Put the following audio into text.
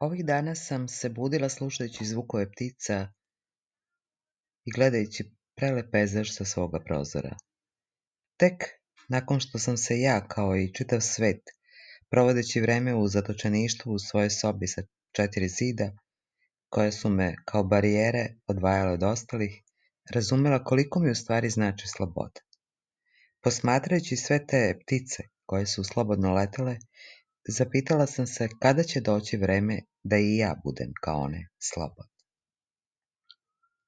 Ovih dana sam se budila slušajući zvukove ptica i gledajući prelep pejzaž sa svoga prozora. Tek nakon što sam se ja, kao i čitav svet, provodeći vreme u zatočeništvu u svojoj sobi sa 4 zida, koje su me kao barijere odvajale od ostalih, razumela koliko mi u stvari znači sloboda. Posmatrajući sve te ptice koje su slobodno letele, zapitala sam se kada će doći vreme da i ja budem kao one slobodna.